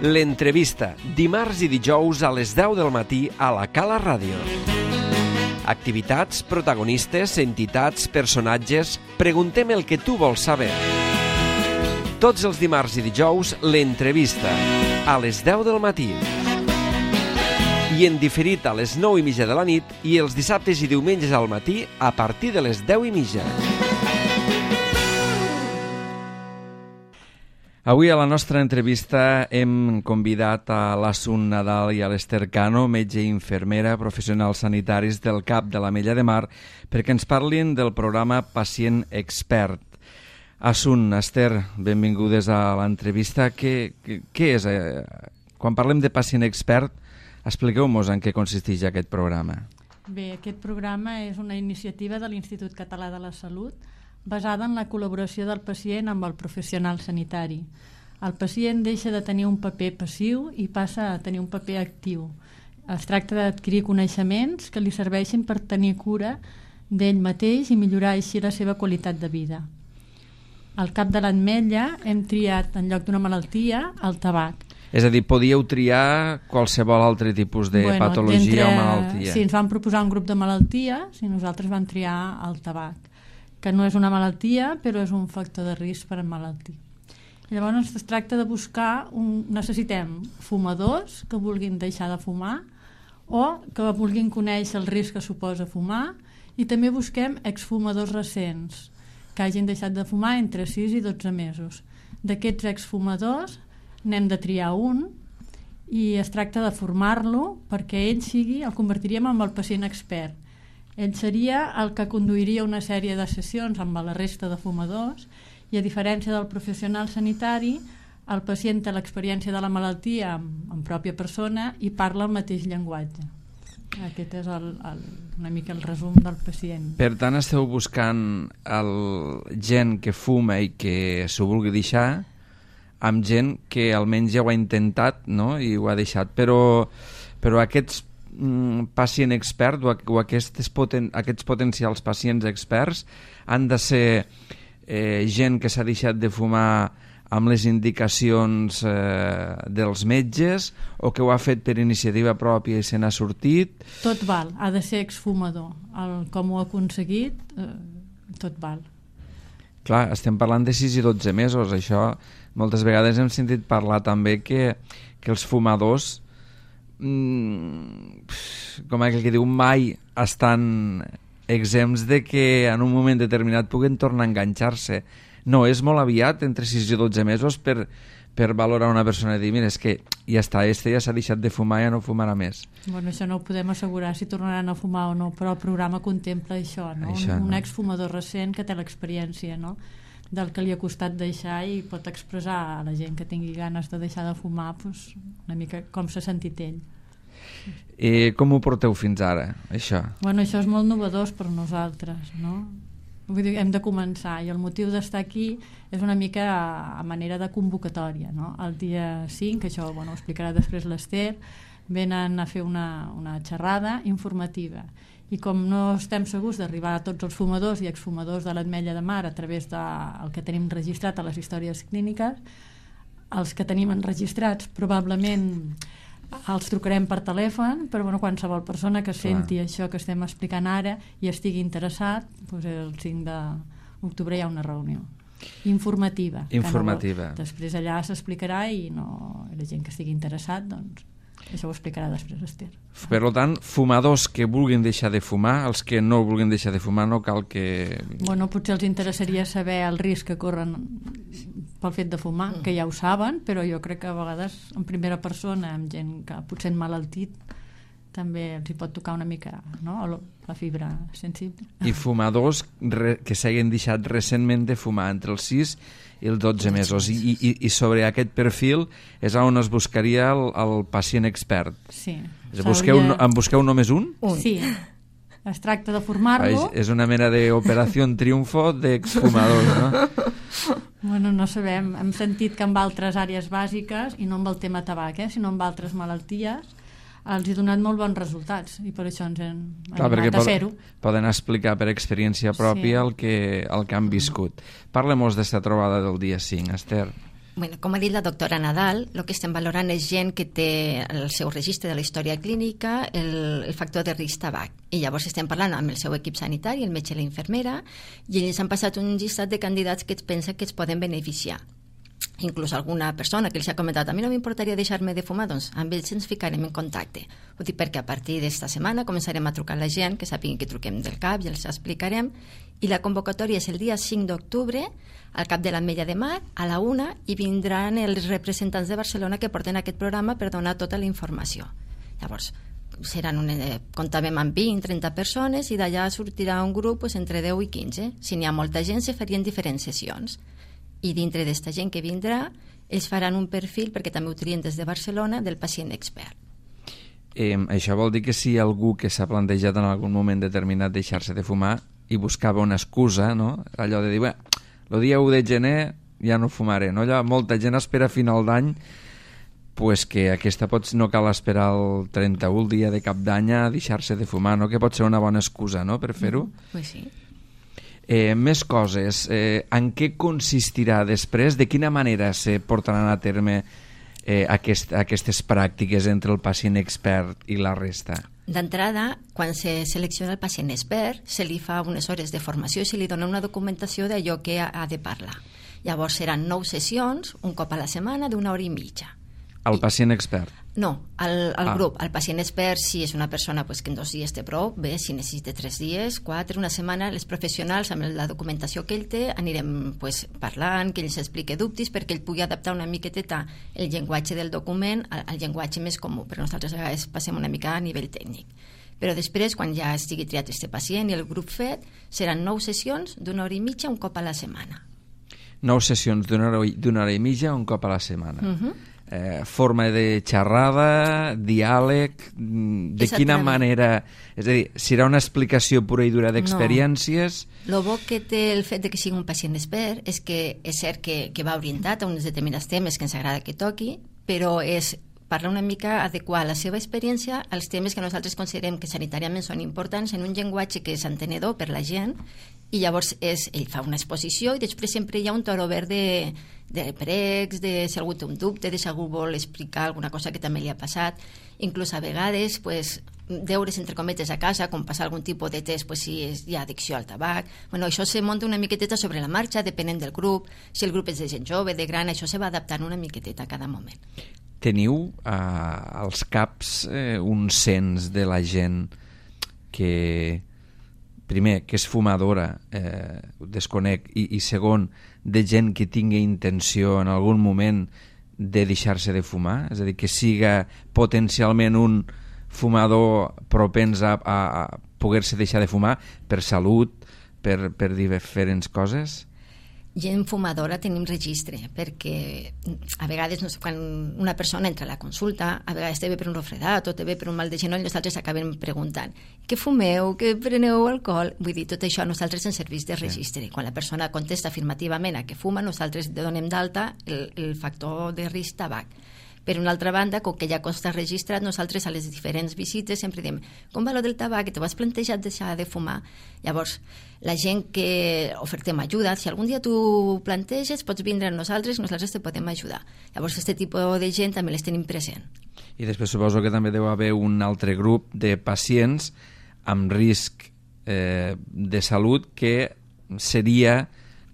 L'entrevista, dimarts i dijous a les 10 del matí a la Cala Ràdio. Activitats, protagonistes, entitats, personatges... Preguntem el que tu vols saber. Tots els dimarts i dijous, l'entrevista, a les 10 del matí. I en diferit a les 9:30 de la nit i els dissabtes i diumenges al matí a partir de les 10:30. Avui a la nostra entrevista hem convidat a l'Assun Nadal i a l'Ester Cano, metge i infermera, professionals sanitaris del CAP de l'Ametlla de Mar, perquè ens parlin del programa Pacient Expert. Assun, Ester, benvingudes a l'entrevista. Què és? Quan parlem de Pacient Expert, expliqueu-nos en què consisteix aquest programa. Bé, aquest programa és una iniciativa de l'Institut Català de la Salut basada en la col·laboració del pacient amb el professional sanitari. El pacient deixa de tenir un paper passiu i passa a tenir un paper actiu. Es tracta d'adquirir coneixements que li serveixin per tenir cura d'ell mateix i millorar així la seva qualitat de vida. Al CAP de l'Ametlla hem triat, en lloc d'una malaltia, el tabac. És a dir, podíeu triar qualsevol altre tipus de patologia o malaltia. Sí, ens van proposar un grup de malalties i nosaltres vam triar el tabac, que no és una malaltia, però és un factor de risc per emmalaltir. Llavors es tracta de buscar, necessitem fumadors que vulguin deixar de fumar o que vulguin conèixer el risc que suposa fumar, i també busquem exfumadors recents que hagin deixat de fumar entre 6 i 12 mesos. D'aquests exfumadors n'hem de triar un i es tracta de formar-lo perquè ell el convertiríem en el pacient expert. Ell seria el que conduiria una sèrie de sessions amb la resta de fumadors i, a diferència del professional sanitari, el pacient té l'experiència de la malaltia en pròpia persona i parla el mateix llenguatge. Aquest és una mica el resum del pacient. Per tant, esteu buscant gent que fuma i que s'ho vulgui deixar amb gent que almenys ja ho ha intentat, no? I ho ha deixat, però aquests pacient expert o aquests potencials pacients experts han de ser gent que s'ha deixat de fumar amb les indicacions dels metges o que ho ha fet per iniciativa pròpia i se n'ha sortit. Tot val, ha de ser exfumador. Com ho ha aconseguit, tot val. Clar, estem parlant de 6 i 12 mesos. Això moltes vegades hem sentit parlar també que els fumadors, com aquell que diu, mai estan exempts de que en un moment determinat puguen tornar a enganxar-se. No, és molt aviat, entre 6 i 12 mesos, per valorar una persona i dir, mira, és que ja està, ja s'ha deixat de fumar, ja no fumarà més. Bueno, això no ho podem assegurar si tornaran a fumar o no, però el programa contempla això, no? Un exfumador recent que té l'experiència, no?, del que li ha costat deixar i pot expressar a la gent que tingui ganes de deixar de fumar una mica com s'ha sentit ell. I com ho porteu fins ara, això? Bueno, això és molt novedós per nosaltres, no? Vull dir, hem de començar, i el motiu d'estar aquí és una mica a manera de convocatòria, no? El dia 5, això ho explicarà després l'Ester, venen a fer una xerrada informativa, i com no estem segurs d'arribar a tots els fumadors i exfumadors de l'Ametlla de Mar a través del que tenim registrat a les històries clíniques, els que tenim enregistrats probablement els trucarem per telèfon, però qualsevol persona que senti això que estem explicant ara i estigui interessat, el 5 d'octubre hi ha una reunió informativa. Després allà s'explicarà i la gent que estigui interessat, doncs això ho explicarà després Esther. Per tant, fumadors que vulguin deixar de fumar, els que no vulguin deixar de fumar no cal que... Potser els interessaria saber el risc que corren pel fet de fumar, que ja ho saben, però jo crec que a vegades en primera persona, amb gent que potser malaltit, també els hi pot tocar una mica, no?, la fibra sensible. I fumadors que s'hagin deixat recentment de fumar entre els 6 i els 12 mesos. I sobre aquest perfil és on es buscaria el pacient expert. Sí. En busqueu només un? Sí. Es tracta de formar-lo. És una mena d'operació triunfo d'exfumadors, no? Bueno, no sabem. Hem sentit que amb altres àrees bàsiques, i no amb el tema tabac, sinó amb altres malalties, els he donat molt bons resultats i per això ens hem animat a fer-ho. Poden explicar per experiència pròpia el que han viscut. Parlem-nos d'esta trobada del dia 5, Ester. Bueno, com ha dit la doctora Nadal, el que estem valorant és gent que té el seu registre de la història clínica, el factor de risc tabac. I llavors estem parlant amb el seu equip sanitari, el metge i la infermera, i ells han passat un llistat de candidats que es pensa que es poden beneficiar. Inclús alguna persona que els ha comentat, a mi no m'importaria deixar-me de fumar, doncs amb ells ens ficarem en contacte. Ho dic perquè a partir d'esta setmana començarem a trucar a la gent, que sàpiguen que truquem del CAP i els explicarem, i la convocatòria és el dia 5 d'octubre al CAP de l'Ametlla de Mar a la 1, i vindran els representants de Barcelona que porten aquest programa per donar tota la informació. Llavors, comptàvem amb 20-30 persones i d'allà sortirà un grup entre 10 i 15. Si n'hi ha molta gent, se farien diferents sessions. I dintre d'esta gent que vindrà, ells faran un perfil, perquè també ho trien des de Barcelona, del pacient expert. Això vol dir que si algú que s'ha plantejat en algun moment determinat deixar-se de fumar i buscava una excusa, no? Allò de dir, el dia 1 de gener ja no fumaré, no? Allò, molta gent espera a final d'any, pues que aquesta no cal esperar el 31, el dia de cap d'any, a deixar-se de fumar, no? Que pot ser una bona excusa, no?, per fer-ho. Pues sí. Més coses. En què consistirà després? De quina manera se portaran a terme aquestes pràctiques entre el pacient expert i la resta? D'entrada, quan se selecciona el pacient expert, se li fa unes hores de formació i se li dona una documentació d'allò que ha de parlar. Llavors seran 9 sessions, un cop a la setmana, d'1 hora i mitja. El pacient expert? No, el grup. El pacient expert, si és una persona que en 2 dies té prou, bé, si necessita 3 dies, 4, una setmana, les professionals, amb la documentació que ell té, anirem parlant, que ell s'expliqui dubtes, perquè ell pugui adaptar una miqueteta el llenguatge del document al llenguatge més comú, però nosaltres a vegades passem una mica a nivell tècnic. Però després, quan ja estigui triat este pacient i el grup fet, seran 9 sessions d'1 hora i mitja un cop a la setmana. 9 sessions d'1 hora i mitja un cop a la setmana. Forma de xerrada, diàleg, de quina manera, és a dir, serà una explicació pura i dura d'experiències? No. El bo que té el fet de que sigui un pacient expert és que és cert que va orientat a uns determinats temes que ens agrada que toqui, però és parlar una mica, adequar la seva experiència als temes que nosaltres considerem que sanitàriament són importants en un llenguatge que és entenedor per la gent, i llavors ell fa una exposició i després sempre hi ha un torn obert de pregs, de si algú té un dubte, de si algú vol explicar alguna cosa que també li ha passat, inclús a vegades deures entre cometes a casa, com passar algun tipus de test si hi ha addicció al tabac. Bueno, això se munta una miqueteta sobre la marxa, depenent del grup, si el grup és de gent jove, de gran, això se va adaptant una miqueteta a cada moment. Teniu als CAPs un cens de la gent que, primer, que és fumadora, ho desconec, i segon, de gent que tingui intenció en algun moment de deixar-se de fumar, és a dir, que siga potencialment un fumador propens a poder-se deixar de fumar per salut, per diferents coses? Gent fumadora tenim registre, perquè a vegades, no sé, quan una persona entra a la consulta, a vegades té bé per un refredat o té bé per un mal de genoll, nosaltres acabem preguntant què fumeu, què preneu alcohol? Vull dir, tot això a nosaltres ens serveix de registre. Quan la persona contesta afirmativament a que fuma, nosaltres donem d'alta el factor de risc tabac. Per una altra banda, com que ja consta registrat, nosaltres a les diferents visites sempre diem com va lo del tabac, que t'ho has plantejat deixar de fumar? Llavors, la gent que ofertem ajuda, si algun dia tu planteges, pots vindre amb nosaltres te podem ajudar. Llavors, aquest tipus de gent també les tenim present. I després suposo que també deu haver un altre grup de pacients amb risc de salut que seria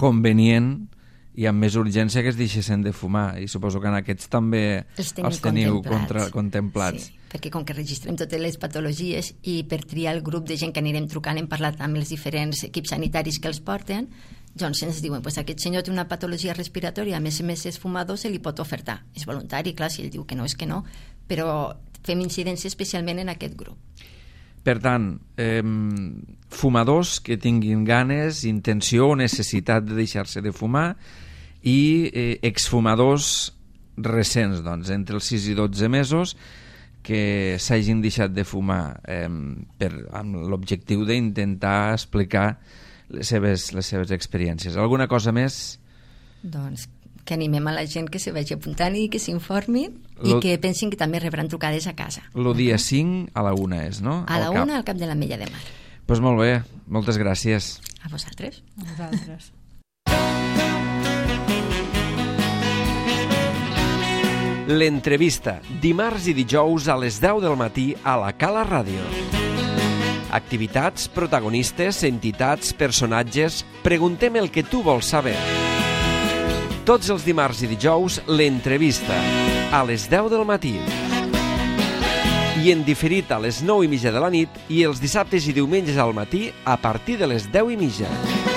convenient i amb més urgència que es deixessin de fumar, i suposo que en aquests també els teniu contemplats. Sí, perquè com que registrem totes les patologies i per triar el grup de gent que anirem trucant hem parlat amb els diferents equips sanitaris que els porten, doncs ens diuen, aquest senyor té una patologia respiratòria, a més és fumador, se li pot ofertar. És voluntari, clar, si ell diu que no és que no, però fem incidència especialment en aquest grup. Per tant, fumadors que tinguin ganes, intenció o necessitat de deixar-se de fumar, i exfumadors recents, doncs, entre els 6 i 12 mesos, que s'hagin deixat de fumar amb l'objectiu d'intentar explicar les seves experiències. Alguna cosa més? Doncs que animem a la gent que se vagi apuntant i que s'informin i que pensin que també rebran trucades a casa. El dia 5 a la 1 és, no? A la 1 al CAP de l'Ametlla de Mar. Doncs molt bé, moltes gràcies. A vosaltres. A vosaltres. L'entrevista, dimarts i dijous a les 10 del matí a la Cala Ràdio. Activitats, protagonistes, entitats, personatges... Preguntem el que tu vols saber. Tots els dimarts i dijous, l'entrevista, a les 10 del matí. I en diferit a les 9:30 de la nit i els dissabtes i diumenges al matí a partir de les 10:30.